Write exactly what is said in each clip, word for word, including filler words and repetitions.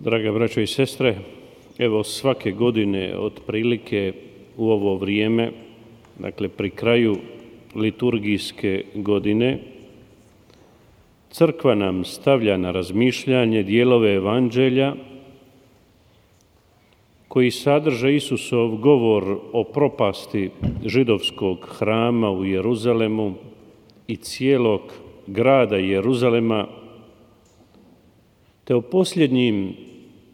Draga braćo i sestre, evo svake godine otprilike u ovo vrijeme, dakle pri kraju liturgijske godine, crkva nam stavlja na razmišljanje dijelove evanđelja koji sadrže Isusov govor o propasti židovskog hrama u Jeruzalemu i cijelog grada Jeruzalema, te o posljednjim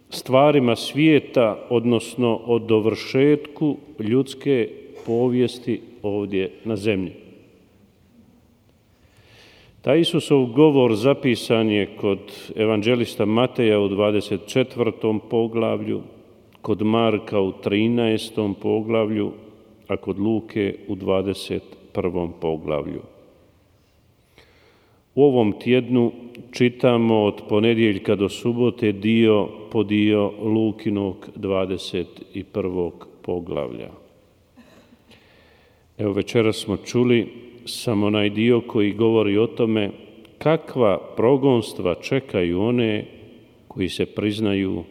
stvarima svijeta, odnosno o dovršetku ljudske povijesti ovdje na zemlji. Taj Isusov govor zapisan je kod evanđelista Mateja u dvadeset četvrtom poglavlju, kod Marka u trinaestom poglavlju, a kod Luke u dvadeset prvom poglavlju. U ovom tjednu čitamo od ponedjeljka do subote dio po dio Lukinog dvadeset prvog poglavlja. Evo večeras smo čuli samo onaj dio koji govori o tome kakva progonstva čekaju one koji se priznaju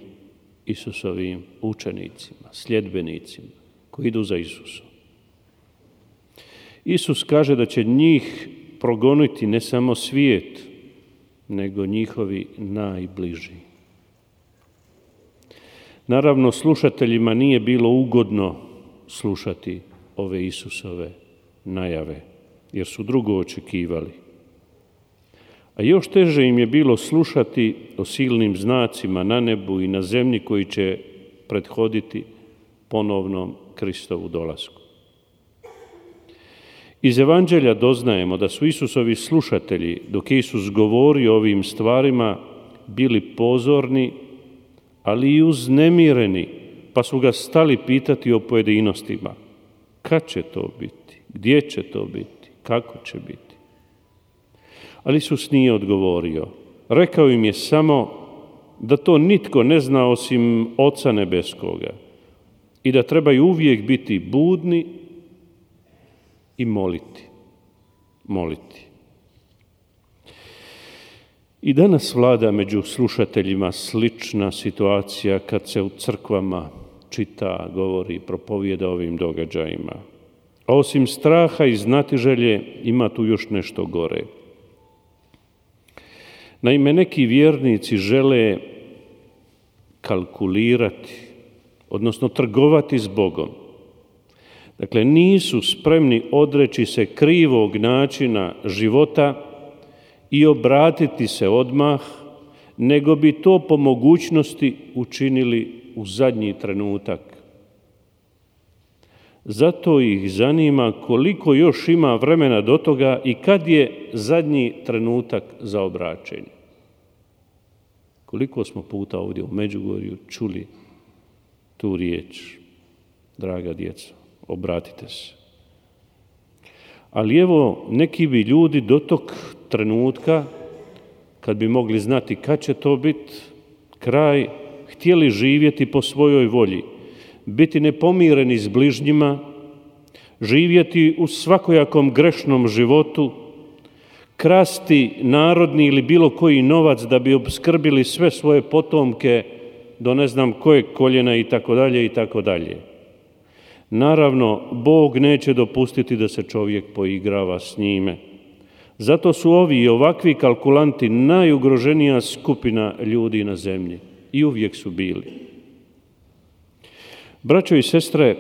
Isusovim učenicima, sljedbenicima, koji idu za Isusom. Isus kaže da će njih progoniti ne samo svijet, nego njihovi najbliži. Naravno, slušateljima nije bilo ugodno slušati ove Isusove najave, jer su drugo očekivali. A još teže im je bilo slušati o silnim znacima na nebu i na zemlji koji će prethoditi ponovnom Kristovu dolasku. Iz evanđelja doznajemo da su Isusovi slušatelji, dok je Isus govorio o ovim stvarima, bili pozorni, ali i uznemireni, pa su ga stali pitati o pojedinostima. Kad će to biti? Gdje će to biti? Kako će biti? Ali Isus nije odgovorio. Rekao im je samo da to nitko ne zna osim Oca Nebeskoga i da trebaju uvijek biti budni i moliti. Moliti. I danas vlada među slušateljima slična situacija kad se u crkvama čita, govori, propovijeda ovim događajima. A osim straha i znatiželje ima tu još nešto gore. Naime, neki vjernici žele kalkulirati, odnosno trgovati s Bogom. Dakle, nisu spremni odreći se krivog načina života i obratiti se odmah, nego bi to po mogućnosti učinili u zadnji trenutak. Zato ih zanima koliko još ima vremena do toga i kad je zadnji trenutak za obraćenje. Koliko smo puta ovdje u Međugorju čuli tu riječ, draga djeco, obratite se. Ali evo, neki bi ljudi do tog trenutka, kad bi mogli znati kad će to biti kraj, htjeli živjeti po svojoj volji, biti nepomireni s bližnjima, živjeti u svakojakom grešnom životu, krasti narodni ili bilo koji novac da bi opskrbili sve svoje potomke do ne znam kojeg koljena i tako dalje i tako dalje. Naravno, Bog neće dopustiti da se čovjek poigrava s njime. Zato su ovi i ovakvi kalkulanti najugroženija skupina ljudi na zemlji i uvijek su bili. Braćo i sestre,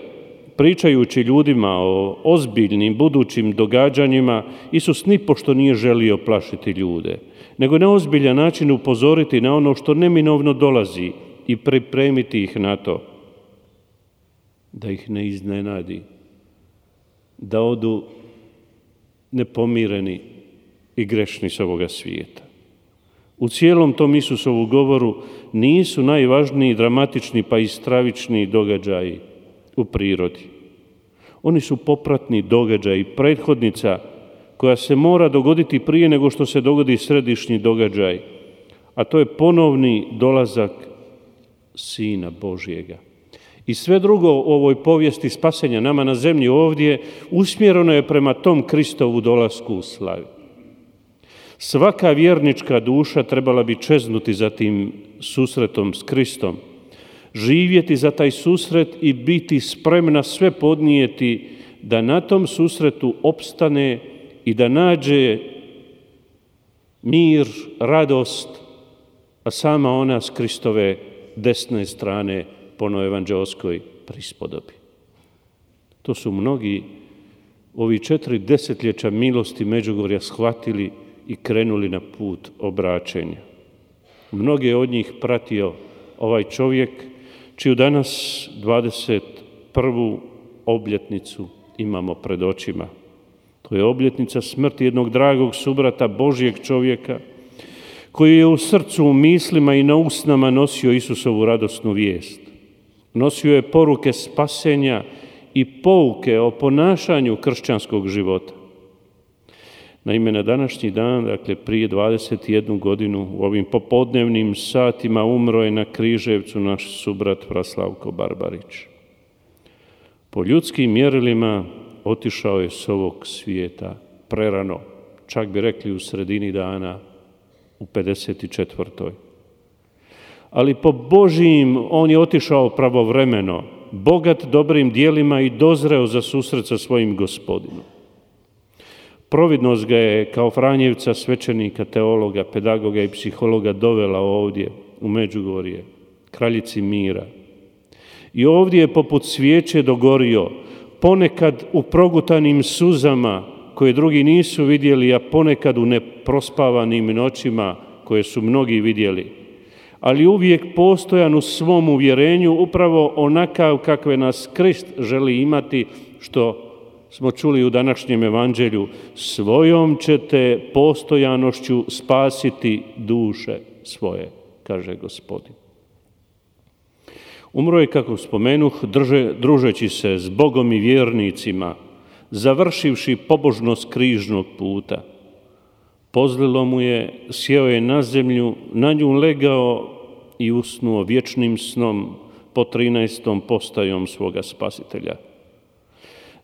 pričajući ljudima o ozbiljnim budućim događanjima, Isus nipošto nije želio plašiti ljude, nego na ozbiljan način upozoriti na ono što neminovno dolazi i pripremiti ih na to, da ih ne iznenadi, da odu nepomireni i grešni s ovoga svijeta. U cijelom tom Isusovu govoru nisu najvažniji dramatični pa i stravični događaji u prirodi. Oni su popratni događaji, prethodnica koja se mora dogoditi prije nego što se dogodi središnji događaj, a to je ponovni dolazak Sina Božjega. I sve drugo u ovoj povijesti spasenja nama na zemlji ovdje usmjereno je prema tom Kristovu dolasku u slavi. Svaka vjernička duša trebala bi čeznuti za tim susretom s Kristom, živjeti za taj susret i biti spremna sve podnijeti da na tom susretu opstane i da nađe mir, radost, a sama ona s Kristove desne strane po novoevanđelskoj prispodobi. To su mnogi ovi četiri desetljeća milosti Međugorja shvatili i krenuli na put obraćenja. Mnoge od njih pratio ovaj čovjek, čiju danas dvadeset prvu obljetnicu imamo pred očima. To je obljetnica smrti jednog dragog subrata, Božjeg čovjeka, koji je u srcu, u mislima i na usnama nosio Isusovu radosnu vijest. Nosio je poruke spasenja i pouke o ponašanju kršćanskog života. Naime, na današnji dan, dakle prije dvadeset jednu godinu, u ovim popodnevnim satima umro je na Križevcu naš subrat Praslavko Barbarić. Po ljudskim mjerilima otišao je s ovog svijeta prerano, čak bi rekli u sredini dana, u pedeset četvrtoj. Ali po Božijim on je otišao pravovremeno, bogat dobrim dijelima i dozreo za susret sa svojim Gospodinom. Providnost ga je kao Franjevca, svećenika, teologa, pedagoga i psihologa dovela ovdje u Međugorje, kraljici mira. I ovdje je poput svijeće dogorio, ponekad u progutanim suzama koje drugi nisu vidjeli, a ponekad u neprospavanim noćima koje su mnogi vidjeli, ali uvijek postojan u svom uvjerenju upravo onakav kakve nas Krist želi imati, što smo čuli u današnjem evanđelju, svojom ćete postojanošću spasiti duše svoje, kaže Gospodin. Umro je, kako spomenuh, drže, družeći se s Bogom i vjernicima, završivši pobožnost križnog puta. Pozlilo mu je, sjeo je na zemlju, na nju legao i usnuo vječnim snom po trinaestom postajom svoga Spasitelja.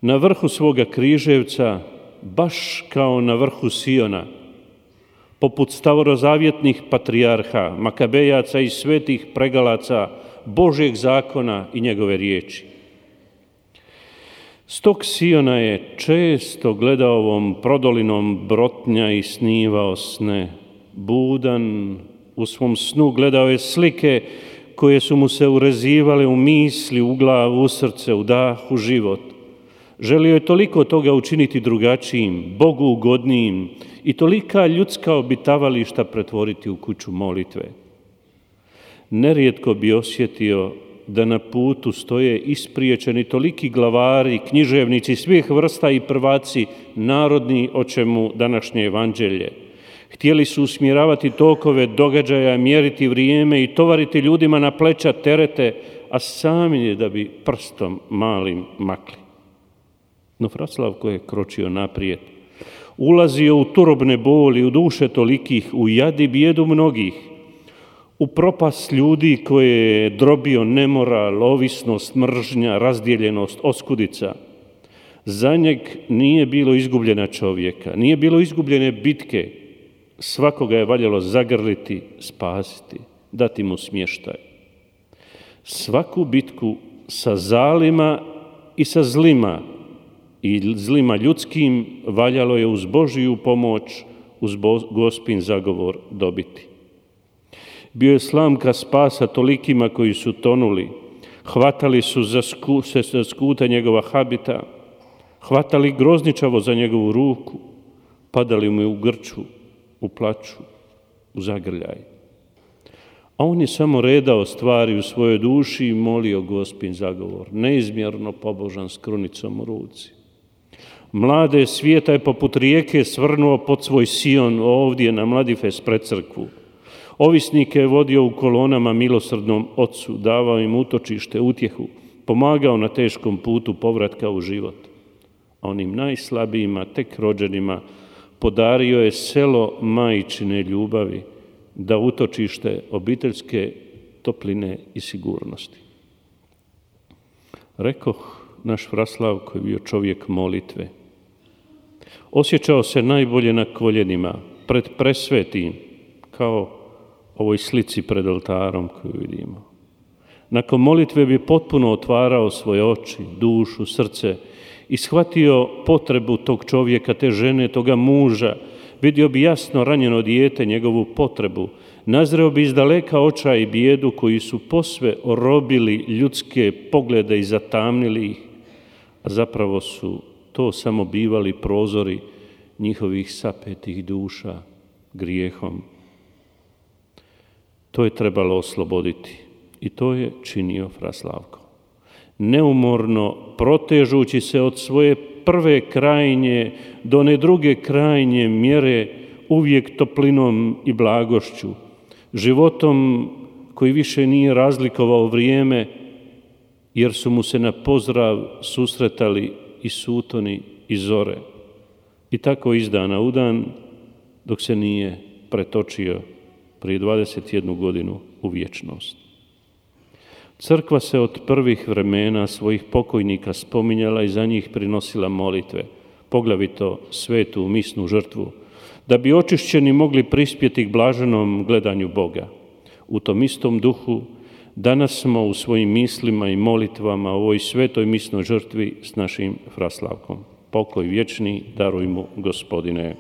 Na vrhu svoga Križevca, baš kao na vrhu Siona, poput stavorozavjetnih patrijarha, makabejaca i svetih pregalaca Božjeg zakona i njegove riječi. S tog Siona je često gledao ovom prodolinom brotnja i snivao sne. Budan u svom snu gledao je slike koje su mu se urezivale u misli, u glavu, u srce, u dah, u život. Želio je toliko toga učiniti drugačijim, Bogu ugodnijim i tolika ljudska obitavališta pretvoriti u kuću molitve. Nerijetko bi osjetio da na putu stoje ispriječeni toliki glavari, književnici svih vrsta i prvaci narodni, o čemu današnje evanđelje. Htjeli su usmjeravati tokove događaja, mjeriti vrijeme i tovariti ljudima na pleća terete, a sami je da bi prstom malim makli. No Fraslavko je kročio naprijed, ulazio u turobne boli, u duše tolikih, u jad i bijedu mnogih, u propast ljudi koje je drobio nemoral, ovisnost, mržnja, razdjeljenost, oskudica. Za njeg nije bilo izgubljena čovjeka, nije bilo izgubljene bitke. Svakoga je valjalo zagrliti, spasiti, dati mu smještaj. Svaku bitku sa zalima i sa zlima i zlima ljudskim valjalo je uz Božiju pomoć, uz Gospin zagovor dobiti. Bio je slamka spasa tolikima koji su tonuli, hvatali su za sku, se za skuta njegova habita, hvatali grozničavo za njegovu ruku, padali mu u grču, u plaću, u zagrljaj. A on je samo redao stvari u svojoj duši i molio Gospin zagovor, neizmjerno pobožan s krunicom u ruci. Mlade svijeta je poput rijeke svrnuo pod svoj Sion ovdje na Mladifes pred crkvu. Ovisnike je vodio u kolonama milosrdnom Ocu, davao im utočište, utjehu, pomagao na teškom putu povratka u život. A onim najslabijima, tek rođenima, podario je selo majčine ljubavi, da utočište obiteljske topline i sigurnosti. Rekoh, naš Fraslavko je bio čovjek molitve. Osjećao se najbolje na koljenima, pred presvetim, kao ovoj slici pred oltarom koju vidimo. Nakon molitve bi potpuno otvarao svoje oči, dušu, srce i shvatio potrebu tog čovjeka, te žene, toga muža. Vidio bi jasno ranjeno dijete, njegovu potrebu. Nazreo bi izdaleka očaj i bijedu koji su posve orobili ljudske poglede i zatamnili ih, a zapravo su to samo bivali prozori njihovih sapetih duša grijehom. To je trebalo osloboditi i to je činio fra Slavko. Neumorno protežući se od svoje prve krajnje do one druge krajnje mjere, uvijek toplinom i blagošću, životom koji više nije razlikovao vrijeme, jer su mu se na pozdrav susretali i sutoni i zore. I tako iz dana u dan, dok se nije pretočio prije dvadeset jednu godinu u vječnost. Crkva se od prvih vremena svojih pokojnika spominjala i za njih prinosila molitve, poglavito svetu misnu žrtvu, da bi očišćeni mogli prispjeti k blaženom gledanju Boga. U tom istom duhu danas smo u svojim mislima i molitvama o ovoj svetoj misnoj žrtvi s našim fra Slavkom. Pokoj vječni daruj mu, Gospodine.